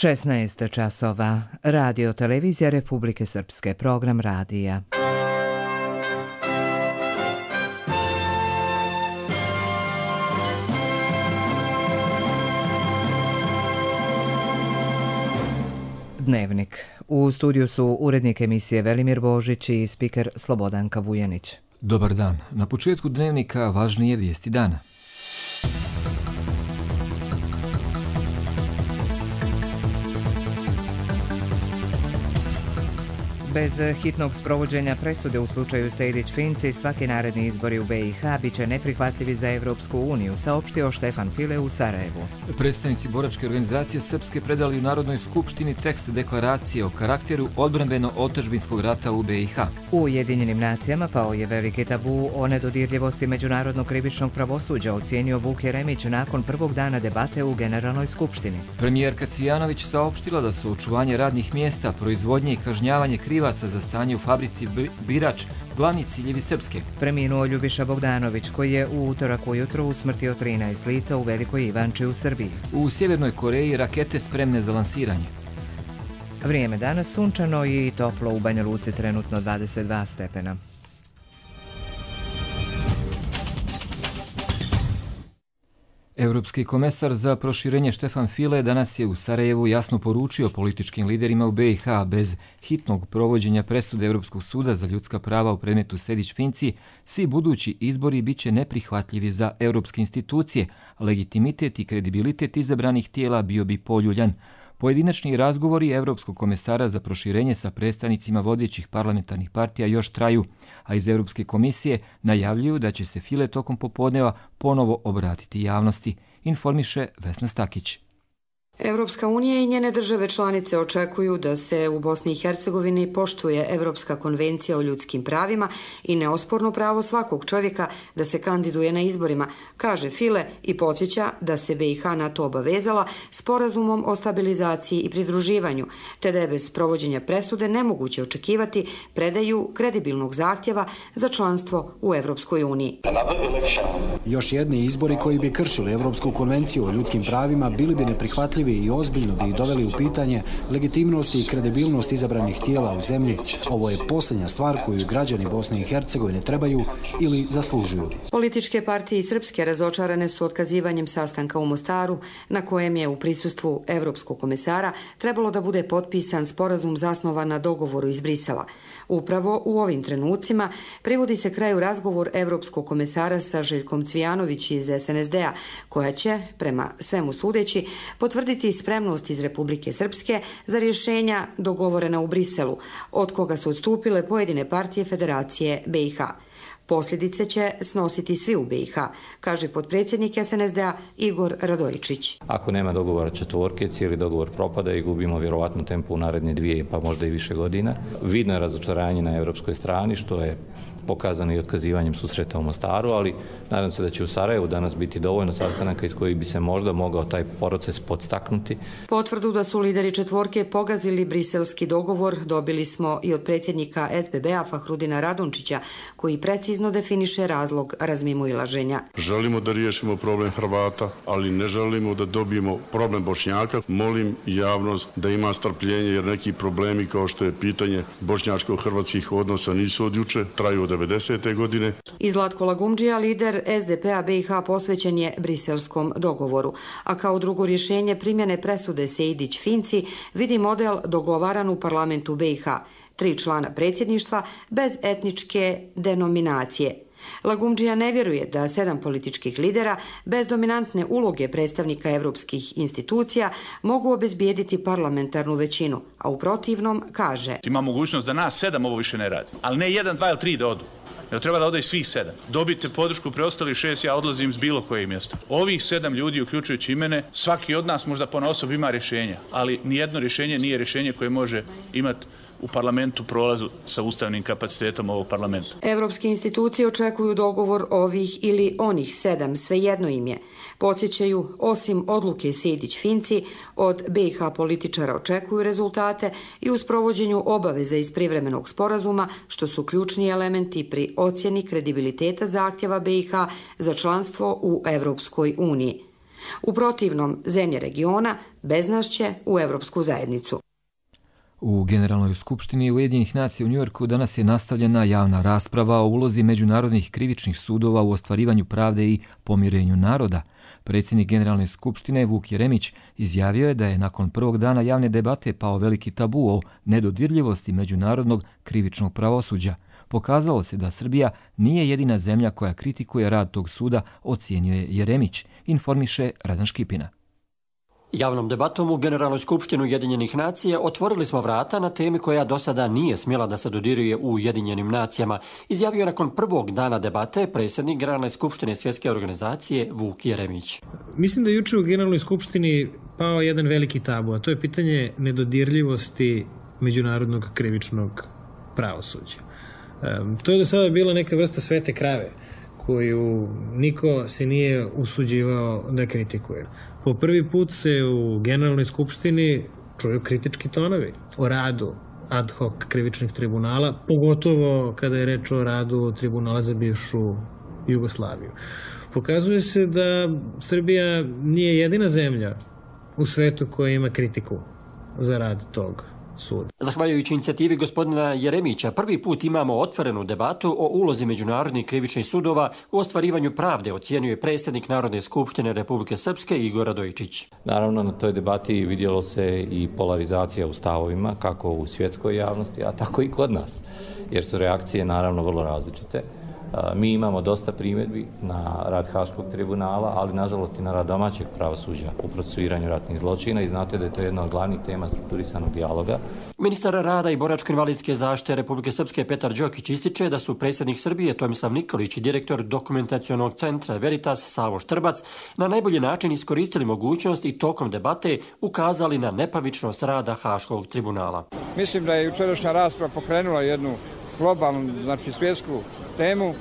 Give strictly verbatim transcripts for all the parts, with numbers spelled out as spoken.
šesnaest časova. Radio Televizija Republike Srpske. Program radija. Dnevnik. U studiju su urednik emisije Velimir Božić i spiker Slobodanka Vujanić. Dobar dan. Na početku dnevnika važnije vijesti dana. Bez hitnog sprovođenja presude u slučaju Sejdić-Finci, svaki naredni izbori u B i H biće neprihvatljivi za Evropsku uniju, saopštio Štefan File u Sarajevu. Predstavnici boračke organizacije Srpske predali u Narodnoj skupštini tekst deklaracije o karakteru odbrambeno-otadžbinskog rata u B i H. U Ujedinjenim nacijama pao je veliki tabu o nedodirljivosti međunarodnog krivičnog pravosuđa, ocijenio Vuk Jeremić nakon prvog dana debate u Generalnoj skupštini. Premijerka Cvijanović saopštila da su očuvanje radnih mjesta, proizvodnje i kažnjavanje kriva za stanje u fabrici Birač glavni ciljevi Srpske. Preminuo Ljubiša Bogdanović, koji je u utorak ujutro usmrtio trinaest lica u Velikoj Ivanči u Srbiji. U Sjevernoj Koreji rakete spremne za lansiranje. Vrijeme danas sunčano i toplo, u Banja Luci trenutno dvadeset dva stepena. Europski komesar za proširenje Štefan File danas je u Sarajevu jasno poručio političkim liderima u B i H bez hitnog provođenja presude Europskog suda za ljudska prava u predmetu Sejdić-Finci, svi budući izbori biće neprihvatljivi za europske institucije, a legitimitet i kredibilitet izabranih tijela bio bi poljuljan. Pojedinačni razgovori Europskog komesara za proširenje sa predstavnicima vodećih parlamentarnih partija još traju, a iz Europske komisije najavljuju da će se File tokom popodneva ponovo obratiti javnosti, informiše Vesna Stakić. Evropska unija i njene države članice očekuju da se u Bosni i Hercegovini poštuje Evropska konvencija o ljudskim pravima i neosporno pravo svakog čovjeka da se kandiduje na izborima, kaže File i podsjeća da se B i H na to obavezala sporazumom o stabilizaciji i pridruživanju, te da je bez provođenja presude nemoguće očekivati predaju kredibilnog zahtjeva za članstvo u Evropskoj uniji. Još jedni izbori koji bi kršili Evropsku konvenciju o ljudskim pravima bili bi neprihvatljivi i ozbiljno bi ih doveli u pitanje legitimnost i kredibilnost izabranih tijela u zemlji. Ovo je posljednja stvar koju građani Bosne i Hercegovine trebaju ili zaslužuju. Političke partije Srpske razočarane su otkazivanjem sastanka u Mostaru, na kojem je u prisustvu Evropskog komesara trebalo da bude potpisan sporazum zasnovan na dogovoru iz Brisela. Upravo u ovim trenucima privodi se kraju razgovor Evropskog komesara sa Željkom Cvijanović iz S N S D-a, koja će, prema svemu sudeći, potvrditi spremnost iz Republike Srpske za rješenja dogovorena u Briselu, od koga su odstupile pojedine partije Federacije B i H. Posljedice će snositi svi u B i H, kaže potpredsjednik S N S D-a Igor Radojičić. Ako nema dogovora četvorke, cijeli dogovor propada i gubimo vjerovatno tempo u naredne dvije, pa možda i više godina. Vidno je razočaranje na europskoj strani, što je pokazano i otkazivanjem susreta u Mostaru, ali nadam se da će u Sarajevu danas biti dovoljno sastanaka iz kojih bi se možda mogao taj proces podstaknuti. Potvrdu da su lideri četvorke pogazili briselski dogovor dobili smo i od predsjednika S B B-a Fahrudina Radončića, koji precizno definiše razlog razmimoilaženja. Želimo da riješimo problem Hrvata, ali ne želimo da dobijemo problem Bošnjaka. Molim javnost da ima strpljenje, jer neki problemi kao što je pitanje bošnjačko-hrvatskih odnosa nisu od juče, traju od devedesete godine. I Zlatko Lagumdžija, lider S D P-a B i H, posvećen je briselskom dogovoru, a kao drugo rješenje primjene presude Sejdić-Finci vidi model dogovaran u parlamentu B i H. Tri člana predsjedništva bez etničke denominacije. Lagumdžija ne vjeruje da sedam političkih lidera bez dominantne uloge predstavnika evropskih institucija mogu obezbijediti parlamentarnu većinu, a u protivnom kaže: Ima mogućnost da nas sedam ovo više ne radi, ali ne jedan, dva ili tri da odu. Jer treba da ode i svih sedam. Dobite podršku preostalih šest, ja odlazim s bilo koje mjesto. Ovih sedam ljudi, uključujući i mene, svaki od nas možda ponaosob ima rješenja, ali nijedno rješenje nije rješenje koje može imati u parlamentu prolazu sa ustavnim kapacitetom ovog parlamenta. Evropske institucije očekuju dogovor ovih ili onih sedam, svejedno im je. Podsjećaju, osim odluke Sejdić-Finci, od B i H političara očekuju rezultate i u sprovođenju obaveze iz privremenog sporazuma, što su ključni elementi pri ocjeni kredibiliteta zahtjeva B i H za članstvo u Evropskoj uniji. U protivnom, zemlje regiona, Bez nas će u Evropsku zajednicu. U Generalnoj skupštini Ujedinjenih nacija u Njujorku danas je nastavljena javna rasprava o ulozi međunarodnih krivičnih sudova u ostvarivanju pravde i pomirenju naroda. Predsjednik Generalne skupštine Vuk Jeremić izjavio je da je nakon prvog dana javne debate pao veliki tabu o nedodirljivosti međunarodnog krivičnog pravosuđa. Pokazalo se da Srbija nije jedina zemlja koja kritikuje rad tog suda, ocjenjuje Jeremić, informiše Radan Škipina. Javnom debatom u Generalnoj skupštini Ujedinjenih nacija otvorili smo vrata na temi koja do sada nije smjela da se dodiruje u Ujedinjenim nacijama, izjavio je nakon prvog dana debate predsjednik Generalne skupštine Svjetske organizacije Vuk Jeremić. Mislim da je juče u Generalnoj skupštini pao jedan veliki tabu, a to je pitanje nedodirljivosti međunarodnog krivičnog pravosuđa. To je do sada bila neka vrsta svete krave koju niko se nije usuđivao da kritikuje. Po prvi put se u Generalnoj skupštini čuju kritički tonovi o radu ad hoc krivičnih tribunala, pogotovo kada je reč o radu tribunala za bivšu Jugoslaviju. Pokazuje se da Srbija nije jedina zemlja u svetu koja ima kritiku za rad tog suda. Zahvaljujući inicijativi gospodina Jeremića, prvi put imamo otvorenu debatu o ulozi međunarodnih krivičnih sudova u ostvarivanju pravde, ocjenjuje predsjednik Narodne skupštine Republike Srpske Igor Radojičić. Naravno, na toj debati vidjelo se i polarizacija u stavovima, kako u svjetskoj javnosti, a tako i kod nas, jer su reakcije naravno vrlo različite. Mi imamo dosta primjedbi na rad Haškog tribunala, ali nažalost i na rad domaćeg pravosuđa u procesuiranju ratnih zločina i znate da je to jedna od glavnih tema strukturisanog dijaloga. Ministar rada i boračko-invalidske zaštite Republike Srpske Petar Đokić ističe da su predsjednik Srbije Tomislav Nikolić i direktor dokumentacionog centra Veritas Savo Štrbac na najbolji način iskoristili mogućnost i tokom debate ukazali na nepravičnost rada Haškog tribunala. Mislim da je jučerašnja rasprava pokrenula jednu globalnu, znači svjetsku temu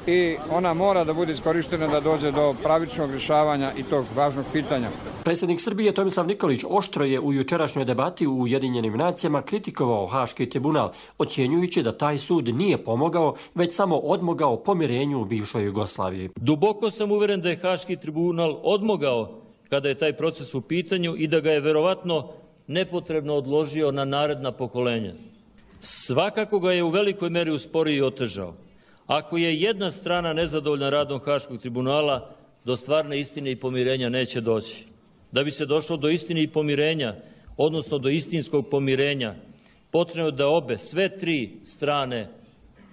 i ona mora da bude iskorištena da dođe do pravičnog rješavanja i tog važnog pitanja. Predsjednik Srbije Tomislav Nikolić oštro je u jučerašnjoj debati u Ujedinjenim nacijama kritikovao Haški tribunal, ocjenjujući da taj sud nije pomogao, već samo odmogao pomirenju u bivšoj Jugoslaviji. Duboko sam uvjeren da je Haški tribunal odmogao kada je taj proces u pitanju i da ga je verovatno nepotrebno odložio na naredna pokolenja. Svakako ga je u velikoj meri usporio i otežao. Ako je jedna strana nezadovoljna radom Haškog tribunala, do stvarne istine i pomirenja neće doći. Da bi se došlo do istine i pomirenja, odnosno do istinskog pomirenja, potrebno da obe, sve tri strane,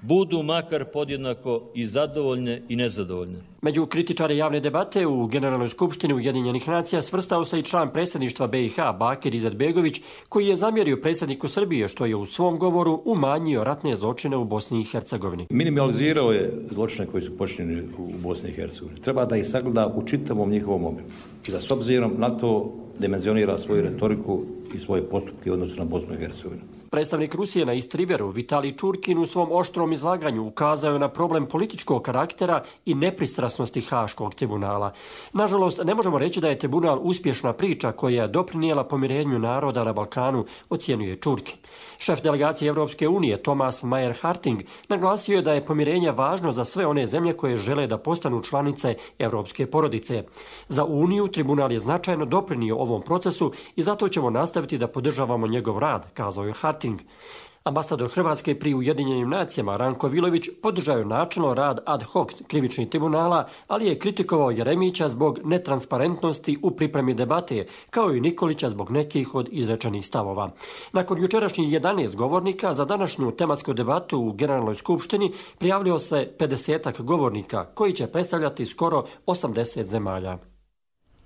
budu makar podjednako i zadovoljne i nezadovoljne. Među kritičare javne debate u Generalnoj skupštini Ujedinjenih nacija svrstao se i član predsjedništva B i H Bakir Izetbegović, koji je zamjerio predsjedniku Srbije što je u svom govoru umanjio ratne zločine u Bosni i Hercegovini. Minimalizirao je zločine koji su počinjeni u Bosni i Hercegovini. Treba da ih sagleda u čitavom njihovom obimu i da s obzirom na to dimenzionira svoju retoriku i svoje postupke u odnosu na Bosnu i Hercegovinu. Predstavnik Rusije na East Riveru, Vitalij Čurkin, u svom oštrom izlaganju ukazao je na problem političkog karaktera i nepristrasnosti Haškog tribunala. Nažalost, ne možemo reći da je tribunal uspješna priča koja je doprinijela pomirenju naroda na Balkanu, ocjenjuje Čurkin. Šef delegacije Evropske unije, Thomas Mayer-Harting, naglasio je da je pomirenje važno za sve one zemlje koje žele da postanu članice evropske porodice. Za Uniju tribunal je značajno doprinio ovom procesu i zato ćemo nastaviti da podržavamo njegov rad, kazao je Harting. Ambasador Hrvatske pri Ujedinjenim nacijama Ranko Vilović podržao je načelno rad ad hoc krivičnih tribunala, ali je kritikovao Jeremića zbog netransparentnosti u pripremi debate, kao i Nikolića zbog nekih od izrečenih stavova. Nakon jučerašnjih jedanaest govornika, za današnju tematsku debatu u Generalnoj skupštini prijavljio se pedesetak govornika, koji će predstavljati skoro osamdeset zemalja.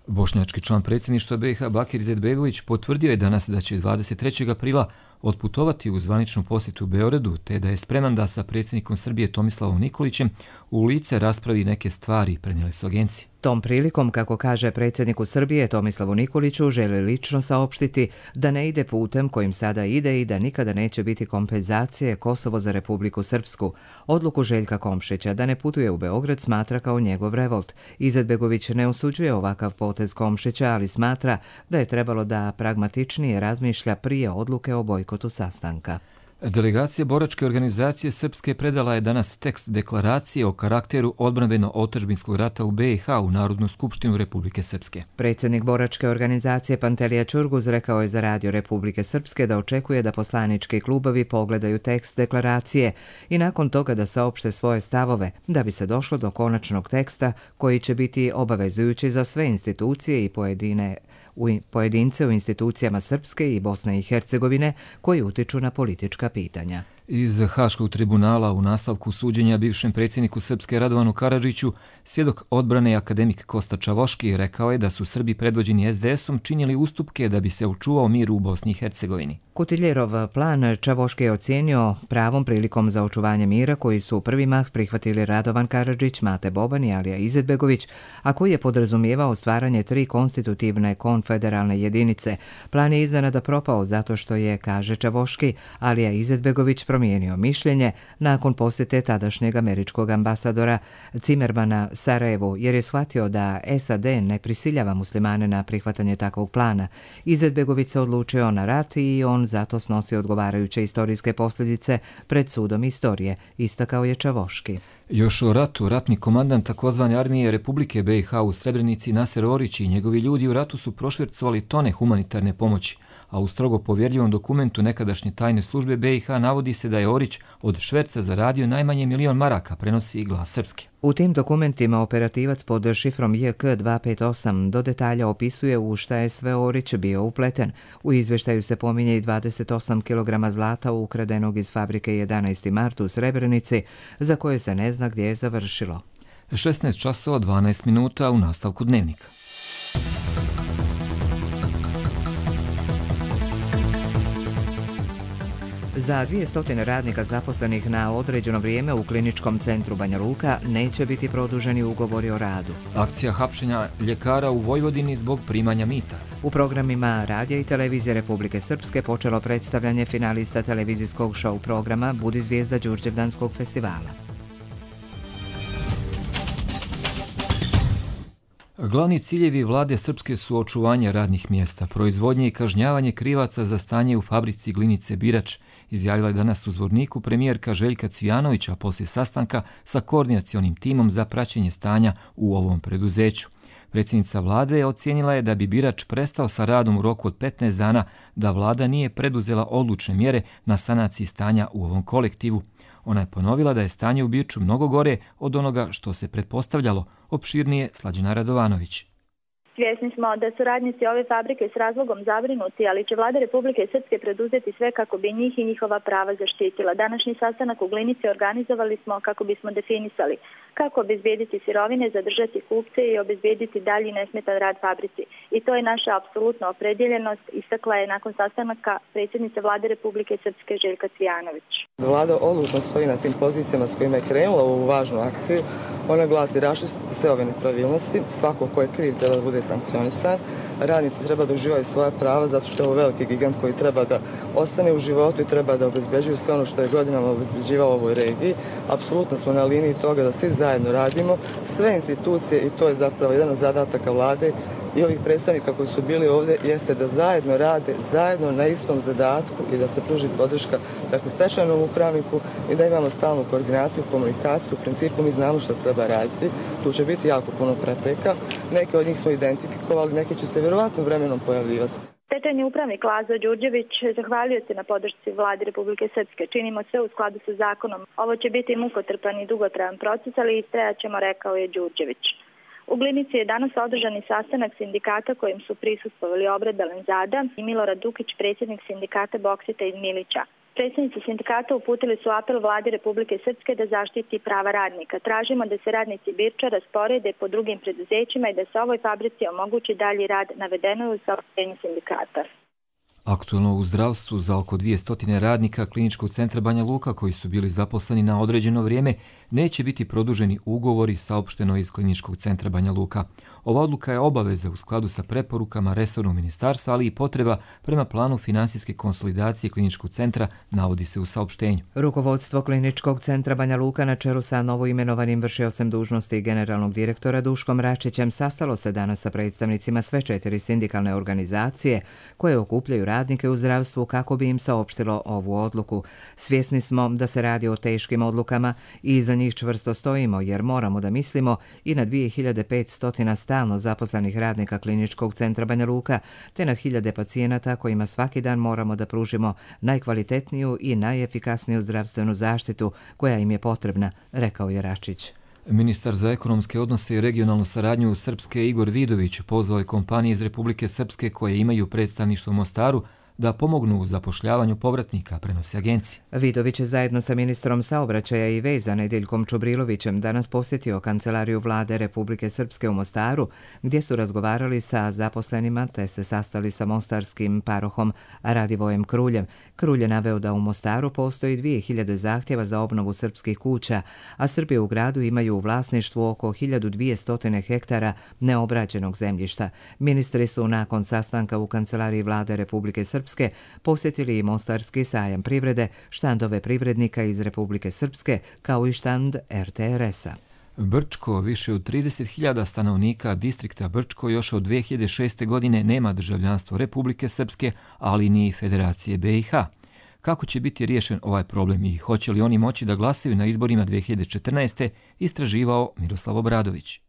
Bošnjački član predsjedništva B i H Bakir Izetbegović potvrdio je danas da će dvadeset trećeg aprila otputovati u zvaničnu posjetu u Beogradu, te da je spreman da sa predsjednikom Srbije Tomislavom Nikolićem u lice raspravi neke stvari, prenijeli su agencije. Tom prilikom, kako kaže predsjedniku Srbije Tomislavu Nikoliću, želi lično saopštiti da ne ide putem kojim sada ide i da nikada neće biti kompenzacije Kosovo za Republiku Srpsku. Odluku Željka Komšića da ne putuje u Beograd smatra kao njegov revolt. Izetbegović ne osuđuje ovakav potez Komšića, ali smatra da je trebalo da pragmatičnije razmišlja prije odluke o bojkotu sastanka. Delegacija boračke organizacije Srpske predala je danas tekst deklaracije o karakteru odbrambeno-otadžbinskog rata u be i ha u Narodnu skupštinu Republike Srpske. Predsjednik boračke organizacije Pantelija Ćurguz rekao je za Radio Republike Srpske da očekuje da poslanički klubovi pogledaju tekst deklaracije i nakon toga da saopšte svoje stavove, da bi se došlo do konačnog teksta koji će biti obavezujući za sve institucije i pojedine u pojedince u institucijama Srpske i Bosne i Hercegovine koji utiču na politička pitanja. Iz Haškog tribunala u nastavku suđenja bivšem predsjedniku Srpske Radovanu Karadžiću, svjedok odbrane akademik Kosta Čavoški rekao je da su Srbi predvođeni es de esom činili ustupke da bi se očuvao mir u Bosni i Hercegovini. Kutiljerov plan Čavoški je ocijenio pravom prilikom za očuvanje mira koji su u prvi mah prihvatili Radovan Karadžić, Mate Boban i Alija Izetbegović, a koji je podrazumijevao stvaranje tri konstitutivne konfederalne jedinice. Plan je iznenada propao zato što je, kaže Čavoški, Alija Izetbegović promijenio mišljenje nakon posjete tadašnjeg američkog ambasadora Cimermana Sarajevu, jer je shvatio da es a de ne prisiljava muslimane na prihvatanje takvog plana. Izetbegović se odlučio na rat i on zato snosi odgovarajuće istorijske posljedice pred sudom istorije, istakao je Čavoški. Još o ratu, ratni komandant takozvane armije Republike be i ha u Srebrenici Naser Orić i njegovi ljudi u ratu su prošvercovali tone humanitarne pomoći, a u strogo povjerljivom dokumentu nekadašnje tajne službe be i ha navodi se da je Orić od šverca zaradio najmanje milion maraka, prenosi Glas Srpske. U tim dokumentima operativac pod šifrom je ke dvesta pedeset osam do detalja opisuje u šta je sve Orić bio upleten. U izveštaju se pominje i dvadeset osam kilograma zlata ukradenog iz fabrike jedanaesti mart u Srebrenici, za koje se ne zna gdje je završilo. šesnaest časova dvanaest minuta u nastavku dnevnika. Za dvjesto radnika zaposlenih na određeno vrijeme u kliničkom centru Banja Luka neće biti produženi ugovori o radu. Akcija hapšenja ljekara u Vojvodini zbog primanja mita. U programima Radija i televizije Republike Srpske počelo predstavljanje finalista televizijskog show programa Budi zvijezda Đurđevdanskog festivala. Glavni ciljevi vlade Srpske su očuvanje radnih mjesta, proizvodnje i kažnjavanje krivaca za stanje u fabrici glinice Birač, izjavila je danas u Zvorniku premijerka Željka Cvijanovića poslije sastanka sa koordinacionim timom za praćenje stanja u ovom preduzeću. Predsjednica vlade je ocijenila je da bi Birač prestao sa radom u roku od petnaest dana da vlada nije preduzela odlučne mjere na sanaciji stanja u ovom kolektivu. Ona je ponovila da je stanje u Birču mnogo gore od onoga što se pretpostavljalo. Opširnije Slađana Radovanović. Svjesni smo da su radnici ove fabrike s razlogom zabrinuti, ali će vlada Republike Srpske preduzeti sve kako bi njih i njihova prava zaštitila. Današnji sastanak u Glinici organizovali smo kako bismo definisali kako obezbijediti sirovine, zadržati kupce i obezbijediti dalji nesmetan rad fabrici. I to je naša apsolutna opredjeljenost, istakla je nakon sastanaka predsjednica vlade Republike Srpske Željka Cvijanović. Vlada odlučno stoji na tim pozicijama s kojima je krenula u ovu važnu akciju. Ona glasi raščistiti sve ove nepravilnosti, svako ko je kriv treba da bude sankcionisan, radnici treba da uživaju svoja prava zato što je ovo veliki gigant koji treba da ostane u životu i treba da obezbeđuju sve ono što je godinama obezbeđivao u ovoj regiji. Apsolutno smo na liniji toga da svi zajedno radimo, sve institucije, i to je zapravo jedan od zadataka vlade i ovih predstavnika koji su bili ovdje, jeste da zajedno rade, zajedno na istom zadatku i da se pruži podrška dakle stečajnom upravniku i da imamo stalnu koordinaciju, komunikaciju. U principu mi znamo što treba raditi, tu će biti jako puno prepreka, neke od njih smo identifikovali, neke će se vjerovatno vremenom pojavljivati. Stečajni upravnik Lazo Đurđević zahvalio se na podršci vlade Republike Srpske. Činimo sve u skladu sa zakonom. Ovo će biti mukotrpan i dugotrajan proces, ali istrajat ćemo, rekao je Đurđević. U Glinici je danas održani sastanak sindikata kojim su prisustvovali Obred Belenzada i Milorad Dukić, predsjednik sindikata Boksita iz Milića. Predsjednici sindikata uputili su apel vladi Republike Srpske da zaštiti prava radnika. Tražimo da se radnici Birča rasporede po drugim preduzećima i da se ovoj fabrici omogući dalji rad, navedeno je u saopštenju sindikata. Aktualno u zdravstvu za oko dvjesto radnika Kliničkog centra Banja Luka koji su bili zaposleni na određeno vrijeme neće biti produženi ugovori, saopšteno iz Kliničkog centra Banja Luka. Ova odluka je obaveza u skladu sa preporukama resornog ministarstva, ali i potreba prema planu finansijske konsolidacije Kliničkog centra, navodi se u saopštenju. Rukovodstvo Kliničkog centra Banja Luka na čelu sa novoimenovanim vršiocem dužnosti generalnog direktora Duškom Račićem sastalo se danas sa predstavnicima sve četiri sindikalne organizacije koje okupljaju radnike u zdravstvu kako bi im saopštilo ovu odluku. Svjesni smo da se radi o teškim odlukama i iza njih čvrsto stojimo jer moramo da mislimo i na dvije hiljade petsto stalno zaposlenih radnika Kliničkog centra Banja Luka te na hiljade pacijenata kojima svaki dan moramo da pružimo najkvalitetniju i najefikasniju zdravstvenu zaštitu koja im je potrebna, rekao je Račić. Ministar za ekonomske odnose i regionalnu saradnju Srpske Igor Vidović pozvao je kompanije iz Republike Srpske koje imaju predstavništvo u Mostaru da pomognu u zapošljavanju povratnika, prenosi agencija. Vidović je zajedno sa ministrom saobraćaja i veza Nedeljkom Čubrilovićem danas posjetio kancelariju vlade Republike Srpske u Mostaru, gdje su razgovarali sa zaposlenima te se sastali sa mostarskim parohom Radivojem Kruljem. Krulj je naveo da u Mostaru postoji dvije hiljade zahtjeva za obnovu srpskih kuća, a Srbi u gradu imaju u vlasništvu oko hiljadu dvjesto hektara neobrađenog zemljišta. Ministri su nakon sastanka u kancelariji vlade Republike Srpske posjetili i Mostarski sajam privrede, štandove privrednika iz Republike Srpske, kao i štand er te er es-a. Brčko, više od trideset hiljada stanovnika distrikta Brčko još od dve hiljade šeste. godine nema državljanstvo Republike Srpske, ali ni Federacije be i ha. Kako će biti riješen ovaj problem i hoće li oni moći da glasaju na izborima dve hiljade četrnaeste. istraživao Miroslav Obradović.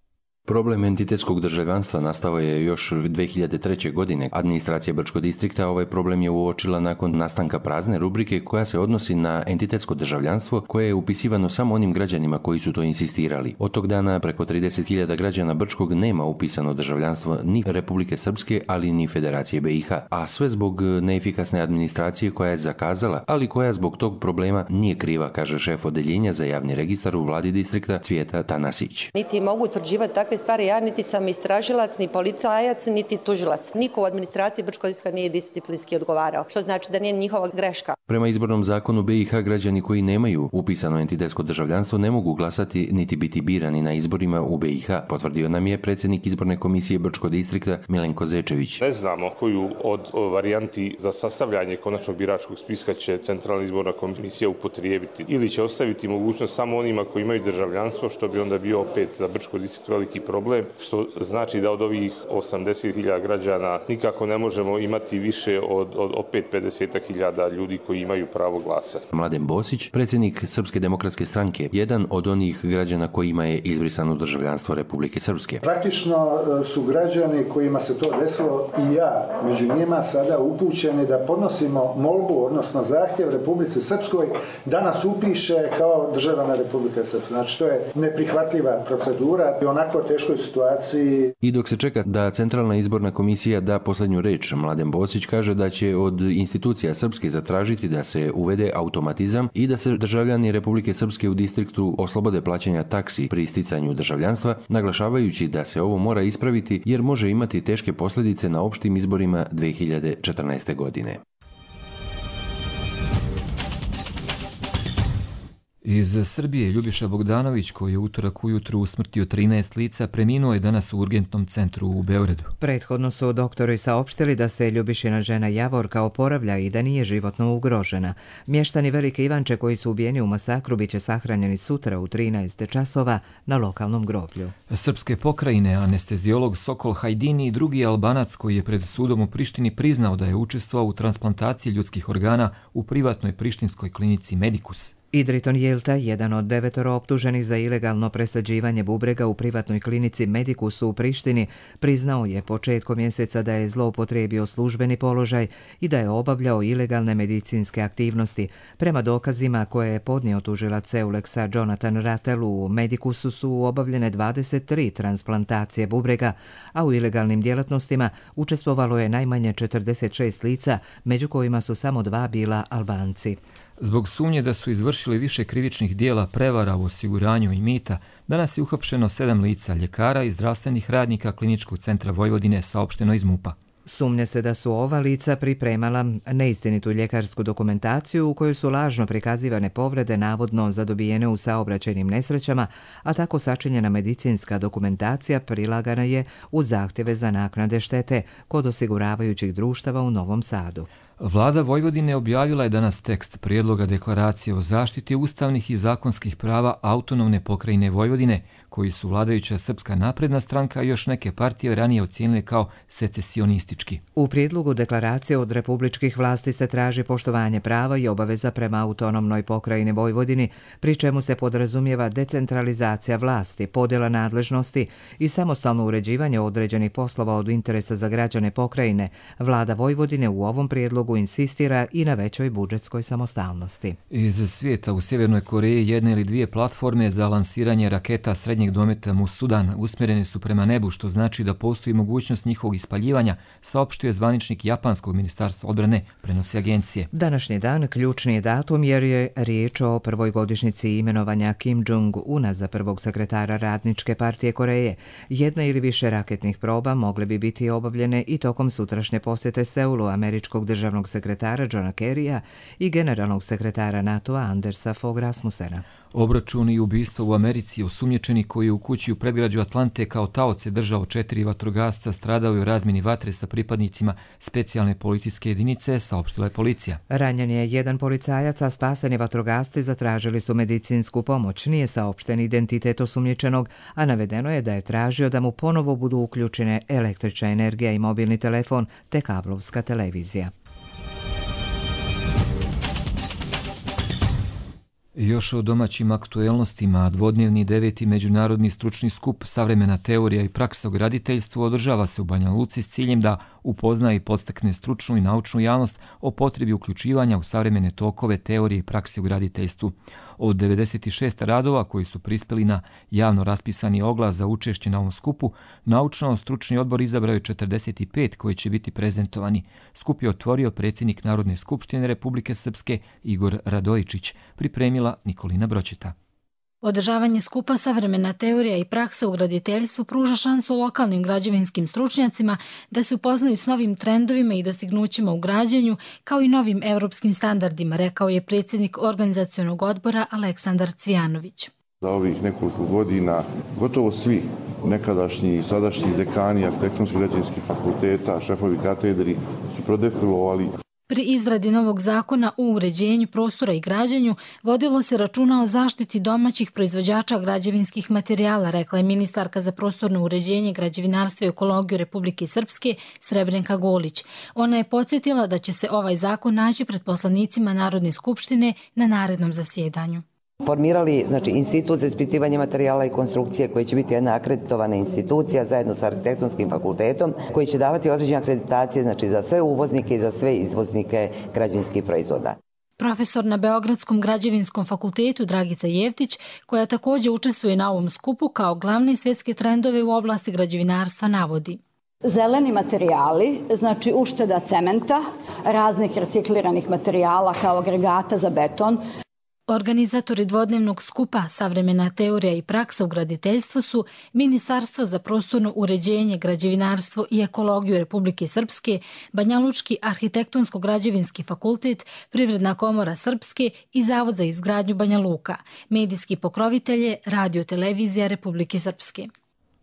Problem entitetskog državljanstva nastao je još dve hiljade treće. godine. Administracija Brčkog distrikta ovaj problem je uočila nakon nastanka prazne rubrike koja se odnosi na entitetsko državljanstvo koje je upisivano samo onim građanima koji su to insistirali. Od tog dana preko trideset hiljada građana Brčkog nema upisano državljanstvo ni Republike Srpske, ali ni Federacije be i ha. A sve zbog neefikasne administracije koja je zakazala, ali koja zbog tog problema nije kriva, kaže šef odeljenja za javni registar u vladi distrikta Cvijeta Tanasić. Niti mogu utvrđivati takve stvari, ja niti sam istražilac, ni policajac, niti tužilac. Niko u administraciji Brčkog distrikta nije disciplinski odgovarao, što znači da nije njihova greška. Prema izbornom zakonu be i ha građani koji nemaju upisano entitetsko državljanstvo ne mogu glasati niti biti birani na izborima u be i ha, potvrdio nam je predsjednik izborne komisije Brčkog distrikta Milenko Zečević. Ne znamo koju od varijanti za sastavljanje konačnog biračkog spiska će Centralna izborna komisija upotrijebiti. Ili će ostaviti mogućnost samo onima koji imaju državljanstvo, što bi onda bio opet za Brčkog distrikt veliki problem, što znači da od ovih osamdeset hiljada građana nikako ne možemo imati više od, od opet pedeset hiljada ljudi koji imaju pravo glasa. Mladen Bosić, predsjednik Srpske demokratske stranke, jedan od onih građana kojima je izbrisano državljanstvo Republike Srpske. Praktično su građani kojima se to desilo i ja među njima sada upućeni da podnosimo molbu, odnosno zahtjev Republici Srpskoj da nas upiše kao državljana Republike Srpske. Znači to je neprihvatljiva procedura i onako teškoj situaciji. I dok se čeka da Centralna izborna komisija da posljednju reč, Mladen Bosić kaže da će od institucija Srpske zatražiti da se uvede automatizam i da se državljani Republike Srpske u distriktu oslobode plaćanja taksi pri sticanju državljanstva, naglašavajući da se ovo mora ispraviti jer može imati teške posljedice na opštim izborima dve hiljade četrnaeste. godine. Iz Srbije Ljubiša Bogdanović, koji je utorak ujutru usmrtio trinaest lica, preminuo je danas u urgentnom centru u Beogradu. Prethodno su doktori saopštili da se Ljubišina žena Javorka oporavlja i da nije životno ugrožena. Mještani Velike Ivanče koji su ubijeni u masakru biće sahranjeni sutra u trinaest časova na lokalnom groblju. Srpske pokrajine, anesteziolog Sokol Hajdini i drugi Albanac koji je pred sudom u Prištini priznao da je učestvovao u transplantaciji ljudskih organa u privatnoj prištinskoj klinici Medikus. Idriton Jelta, jedan od devetoro optuženih za ilegalno presađivanje bubrega u privatnoj klinici Medikusu u Prištini, priznao je početkom mjeseca da je zloupotrijebio službeni položaj i da je obavljao ilegalne medicinske aktivnosti. Prema dokazima koje je podnio tužilac Euleksa Jonathan Rattel, u Medikusu su obavljene dvadeset tri transplantacije bubrega, a u ilegalnim djelatnostima učestvovalo je najmanje četrdeset šest lica, među kojima su samo dva bila Albanci. Zbog sumnje da su izvršili više krivičnih dijela prevara u osiguranju i mita, danas je uhapšeno sedam lica, ljekara i zdravstvenih radnika Kliničkog centra Vojvodine, saopšteno iz MUP-a. Sumnja se da su ova lica pripremala neistinitu ljekarsku dokumentaciju u kojoj su lažno prikazivane povrede navodno zadobijene u saobraćajnim nesrećama, a tako sačinjena medicinska dokumentacija prilagana je u zahtjeve za naknade štete kod osiguravajućih društava u Novom Sadu. Vlada Vojvodine objavila je danas tekst prijedloga deklaracije o zaštiti ustavnih i zakonskih prava autonomne pokrajine Vojvodine, koji su vladajuća Srpska napredna stranka i još neke partije ranije ocijenile kao secesionistički. U prijedlogu deklaracije od republičkih vlasti se traži poštovanje prava i obaveza prema autonomnoj pokrajini Vojvodini, pri čemu se podrazumijeva decentralizacija vlasti, podjela nadležnosti i samostalno uređivanje određenih poslova od interesa za građane pokrajine. Vlada Vojvodine u ovom prijedlogu insistira i na većoj budžetskoj samostalnosti. Iz svijeta u Sjevernoj Koreji jedne ili dvije platforme za lansiranje raketa srednjeg dometa mu Sudan usmjerene su prema nebu, što znači da postoji mogućnost njihovog ispaljivanja, saopštio je zvaničnik japanskog ministarstva odbrane, prenosi agencije. Današnji dan ključni je datum jer je riječ o prvoj godišnjici imenovanja Kim Jong-una za prvog sekretara Radničke partije Koreje. Jedna ili više raketnih proba mogle bi biti obavljene i tokom sutrašnje posjete Seulu američkog državnog sekretara Johna Kerrya i generalnog sekretara NATO-a Andersa Fogh Rasmussena. Obračun i ubistvo u Americi, osumnjičeni koji je u kući u predgrađu Atlante kao taoce držao četiri vatrogasca, stradao je u razmjeni vatre sa pripadnicima specijalne policijske jedinice, saopštila je policija. Ranjen je jedan policajac, a spaseni vatrogasci zatražili su medicinsku pomoć. Nije saopšten identitet osumnjičenog, a navedeno je da je tražio da mu ponovo budu uključene električna energija i mobilni telefon te kablovska televizija. Još o domaćim aktuelnostima, dvodnevni deveti međunarodni stručni skup Savremena teorija i praksa u graditeljstvu održava se u Banja Luci s ciljem da upozna i podstakne stručnu i naučnu javnost o potrebi uključivanja u savremene tokove teorije i prakse u graditeljstvu. Od devedeset šest radova koji su prispeli na javno raspisani oglas za učešće na ovom skupu, naučno-stručni odbor izabrao je četrdeset pet koji će biti prezentovani. Skup je otvorio predsjednik Narodne skupštine Republike Srpske Igor Radojičić, pripremila Nikolina Bročeta. Održavanje skupa Savremena teorija i praksa u graditeljstvu pruža šansu lokalnim građevinskim stručnjacima da se upoznaju s novim trendovima i dostignućima u građenju, kao i novim evropskim standardima, rekao je predsjednik organizacionog odbora Aleksandar Cvijanović. Za ovih nekoliko godina gotovo svi nekadašnji i sadašnji dekani arhitektonskih građevinskih fakulteta, šefovi katedri su prodefilovali. Pri izradi novog zakona o uređenju prostora i građenju vodilo se računa o zaštiti domaćih proizvođača građevinskih materijala, rekla je ministarka za prostorno uređenje, građevinarstvo i ekologiju Republike Srpske Srebrenka Golić. Ona je podsjetila da će se ovaj zakon naći pred poslanicima Narodne skupštine na narednom zasjedanju. Formirali znači, institut za ispitivanje materijala i konstrukcije koji će biti jedna akreditovana institucija zajedno sa arhitektonskim fakultetom koji će davati određene akreditacije znači, za sve uvoznike i za sve izvoznike građevinskih proizvoda. Profesor na Beogradskom građevinskom fakultetu Dragica Jevtić, koja također učestvuje na ovom skupu kao glavne svjetske trendove u oblasti građevinarstva, navodi. Zeleni materijali, znači ušteda cementa, raznih recikliranih materijala kao agregata za beton. Organizatori dvodnevnog skupa Savremena teorija i praksa u graditeljstvu su Ministarstvo za prostorno uređenje, građevinarstvo i ekologiju Republike Srpske, Banjalučki arhitektonsko-građevinski fakultet, Privredna komora Srpske i Zavod za izgradnju Banja Luka. Medijski pokrovitelje Radio televizija Republike Srpske.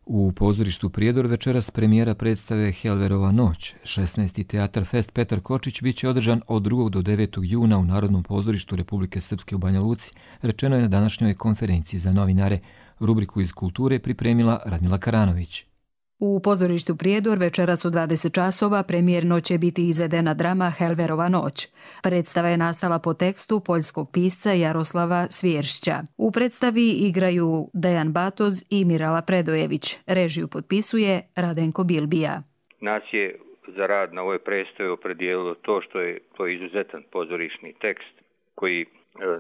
U pozorištu Prijedor večeras premijera predstave Helverova noć. šesnaesti Teatar Fest Petar Kočić bit će održan od drugog do devetog juna u Narodnom pozorištu Republike Srpske u Banja Luci, rečeno je na današnjoj konferenciji za novinare. Rubriku iz kulture pripremila Radmila Karanović. U pozorištu Prijedor večeras u dvadeset časova premijerno će biti izvedena drama Helverova noć. Predstava je nastala po tekstu poljskog pisca Jaroslava Svjeršća. U predstavi igraju Dejan Batoz i Mirala Predojević. Režiju potpisuje Radenko Bilbija. Nas je za rad na ovoj predstavi opredijelilo to što je to izuzetan pozorišni tekst koji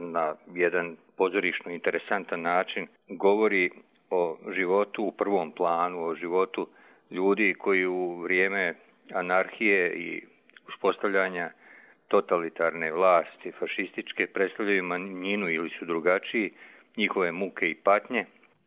na jedan pozorišno interesantan način govori o životu u prvom planu, o životu ljudi koji u vrijeme anarhije i uspostavljanja totalitarne vlasti, fašističke, predstavljaju manjinu ili su drugačiji, njihove muke i patnje.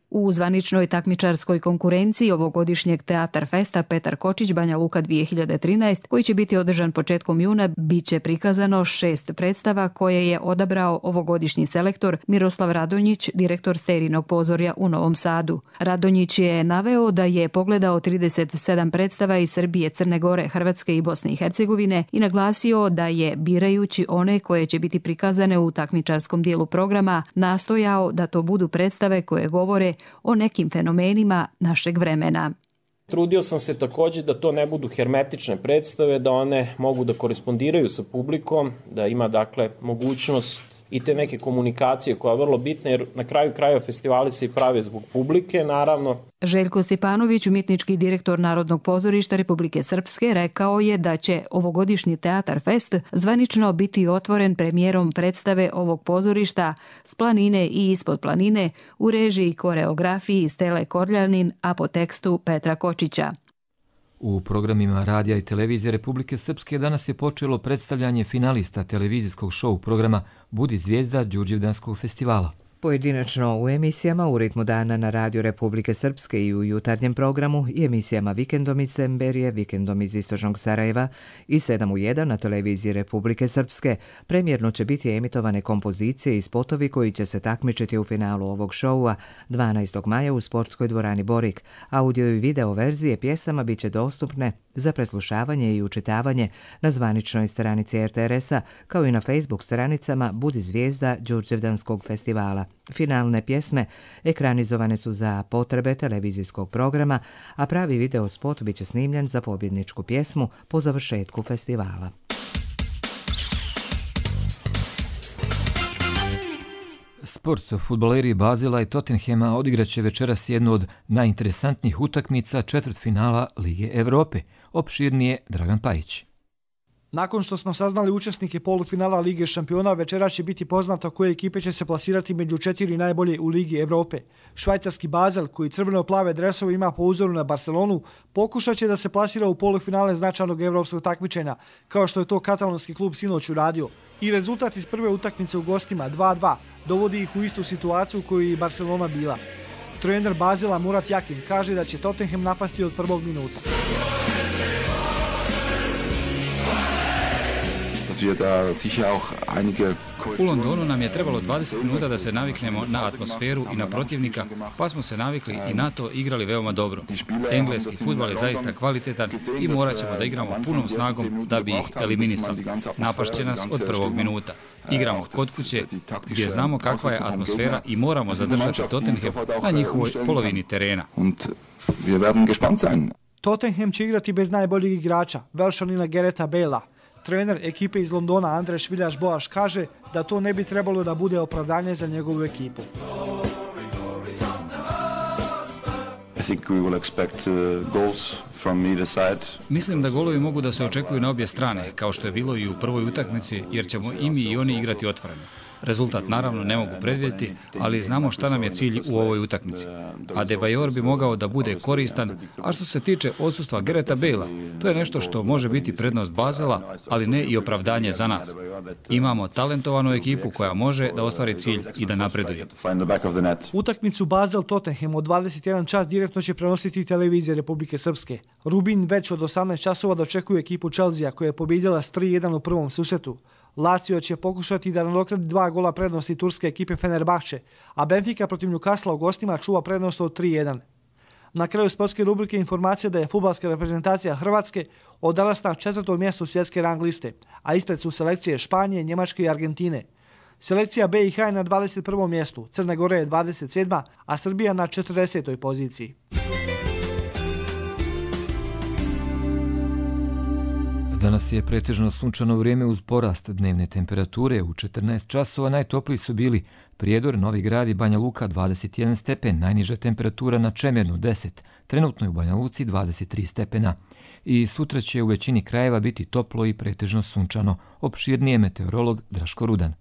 U zvaničnoj takmičarskoj konkurenciji ovogodišnjeg Teatar Festa Petar Kočić Banja Luka dvije hiljade trinaest, koji će biti održan početkom juna, bit će prikazano šest predstava koje je odabrao ovogodišnji selektor Miroslav Radonjić, direktor Sterinog pozorja u Novom Sadu. Radonjić je naveo da je pogledao trideset sedam predstava iz Srbije, Crne Gore, Hrvatske i Bosne i Hercegovine i naglasio da je, birajući one koje će biti prikazane u takmičarskom dijelu programa, nastojao da to budu predstave koje govore o nekim fenomenima našeg vremena. Trudio sam se također da to ne budu hermetične predstave, da one mogu da korespondiraju sa publikom, da ima dakle mogućnost i te neke komunikacije koja je vrlo bitna, jer na kraju krajeva festivali se i prave zbog publike, naravno. Željko Stepanović, umjetnički direktor Narodnog pozorišta Republike Srpske, rekao je da će ovogodišnji Teatar Fest zvanično biti otvoren premijerom predstave ovog pozorišta S planine i ispod planine u režiji i koreografiji Stele Korljanin, a po tekstu Petra Kočića. U programima radija i televizije Republike Srpske danas je počelo predstavljanje finalista televizijskog šou programa Budi zvijezda Đurđevdanskog festivala. Pojedinačno u emisijama u ritmu dana na Radio Republike Srpske i u jutarnjem programu i emisijama Vikendom iz Semberije, Vikendom iz Istočnog Sarajeva i sedam u jedan na televiziji Republike Srpske premjerno će biti emitovane kompozicije i spotovi koji će se takmičiti u finalu ovog šoua dvanaestog maja u sportskoj dvorani Borik. Audio i video verzije pjesama bit će dostupne za preslušavanje i učitavanje na zvaničnoj stranici R T R S-a kao i na Facebook stranicama Budi zvijezda Đurđevdanskog festivala. Finalne pjesme ekranizovane su za potrebe televizijskog programa, a pravi video spot biće snimljen za pobjedničku pjesmu po završetku festivala. Sport fudbaleri Bazela i Tottenhema odigraće večeras jednu od najinteresantnijih utakmica četvrtfinala Lige Evrope. Opširnije Dragan Pajić. Nakon što smo saznali učesnike polufinala Lige šampiona, večera će biti poznato koje ekipe će se plasirati među četiri najbolje u Ligi Evrope. Švajcarski Basel, koji crveno-plave dresove ima po uzoru na Barcelonu, pokušat će da se plasira u polufinale značajnog evropskog takmičenja, kao što je to katalonski klub sinoć uradio. I rezultat iz prve utakmice u gostima dva dva dovodi ih u istu situaciju koju je Barcelona bila. Trener Basela Murat Yakin kaže da će Tottenham napasti od prvog minuta. U Londonu nam je trebalo dvadeset minuta da se naviknemo na atmosferu i na protivnika, pa smo se navikli i na to igrali veoma dobro. Engleski fudbal je zaista kvalitetan i morat ćemo da igramo punom snagom da bi ih eliminisali. Napašće nas od prvog minuta. Igramo kod kuće gdje znamo kakva je atmosfera i moramo zadržati Tottenham na njihovoj polovini terena. Tottenham će igrati bez najboljeg igrača, Velšanina Gareta Bale'a. Trener ekipe iz Londona Andreš Viljaš Boaš kaže da to ne bi trebalo da bude opravdanje za njegovu ekipu. Mislim da golovi mogu da se očekuju na obje strane, kao što je bilo i u prvoj utakmici, jer ćemo i mi i oni igrati otvoreno. Rezultat naravno ne mogu predvidjeti, ali znamo šta nam je cilj u ovoj utakmici. Adebayor bi mogao da bude koristan, a što se tiče odsustva Gareta Bale'a, to je nešto što može biti prednost Basela, ali ne i opravdanje za nas. Imamo talentovanu ekipu koja može da ostvari cilj i da napreduje. Utakmicu Basel-Tottenham od dvadeset jedan čas direktno će prenositi televizija Republike Srpske. Rubin već od osamnaest časova dočekuje ekipu Chelsea koja je pobjedila s tri jedan u prvom susretu. Lazio će pokušati da nadoknadi dva gola prednosti turske ekipe Fenerbahče, a Benfica protiv Newcastle u gostima čuva prednost od tri jedan. Na kraju sportske rubrike informacija da je fudbalska reprezentacija Hrvatske odalas na četvrtom mjestu svjetske rang liste, a ispred su selekcije Španije, Njemačke i Argentine. Selekcija B i H je na dvadeset prvom mjestu, Crna Gora je dvadeset sedma, a Srbija na četrdesetoj poziciji. Danas je pretežno sunčano vrijeme uz porast dnevne temperature. U četrnaest časova najtopliji su bili Prijedor, Novi Grad i Banja Luka dvadeset jedan stepen, najniža temperatura na Čemernu deset, trenutno je u Banja Luci dvadeset tri stepena. I sutra će u većini krajeva biti toplo i pretežno sunčano. Opširnije meteorolog Draško Rudan.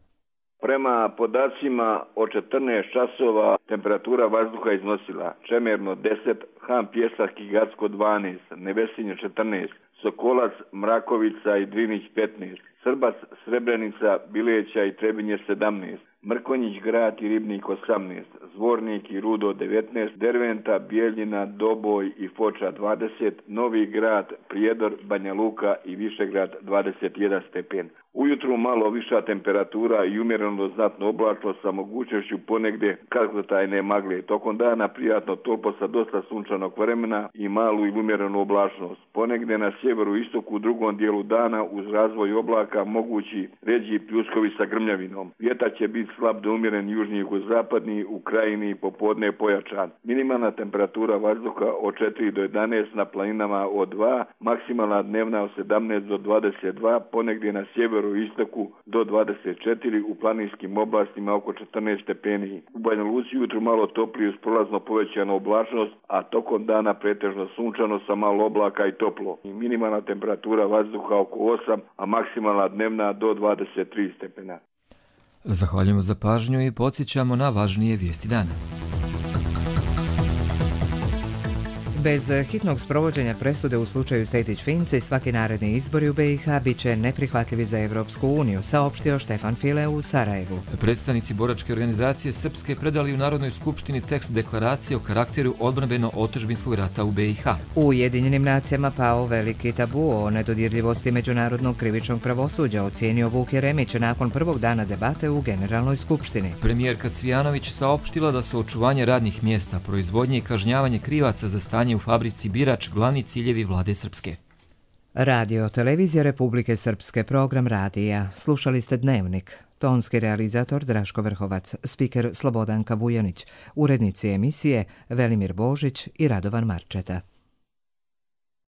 Prema podacima od četrnaest časova temperatura vazduha iznosila Čemerno deset, Han Pjesak i Gacko dvanaest, Nevesinje četrnaest, Sokolac, Mrakovica i Drinić petnaest, Srbac, Srebrenica, Bileća i Trebinje sedamnaest, Mrkonjić grad i Ribnik osamnaest, Zvornik i Rudo devetnaest, Derventa, Bijeljina, Doboj i Foča dvadeset, Novi grad, Prijedor, Banja Luka i Višegrad dvadeset jedan stepen. Ujutru malo viša temperatura i umjereno do znatno oblačno sa mogućnošću ponegde kratkotrajne magle. Tokom dana prijatno toplo sa dosta sunčanog vremena i malu i umjerenu oblačnost. Ponegde na sjeveru istoku u drugom dijelu dana uz razvoj oblaka mogući ređi pljuskovi sa grmljavinom. Vjetar će biti slab do umjeren južni jugozapadni, u krajini popodne pojačan. Minimalna temperatura vazduha od četiri do jedanaest, na planinama od dva, maksimalna dnevna od sedamnaest do dvadeset dva, ponegdje na sjeveru i istoku do dvadeset četiri, u planinskim oblastima oko četrnaest stepeni. U Banja Luci jutro malo toplije uz prolazno povećanu oblačnost, a tokom dana pretežno sunčano sa malo oblaka i toplo. I minimalna temperatura vazduha oko osam, a maksimalna dnevna do dvadeset tri stepena. Zahvaljujemo za pažnju i podsjećamo na važnije vijesti dana. Bez hitnog sprovođenja presude u slučaju Sejdić-Finci svaki naredni izbori u B i H bit će neprihvatljivi za Evropsku uniju, saopštio Štefan File u Sarajevu. Predstavnici boračke organizacije Srpske predali u Narodnoj skupštini tekst deklaracije o karakteru odbrambeno-otadžbinskog rata u B i H. U Ujedinjenim nacijama pao veliki tabu o nedodirljivosti međunarodnog krivičnog pravosuđa, ocijenio Vuk Jeremić nakon prvog dana debate u Generalnoj skupštini. Premijerka Cvijanović saopštila da su očuvanje radnih mjesta, proizvodnje i kažnjavanje krivaca za stanje u fabrici Birač glavni ciljevi vlade Srpske. Radio Televizija Republike Srpske, program radija. Slušali ste Dnevnik. Tonski realizator Draško Vrhovac, spiker Slobodanka Vujanić, urednici emisije Velimir Božić i Radovan Marčeta.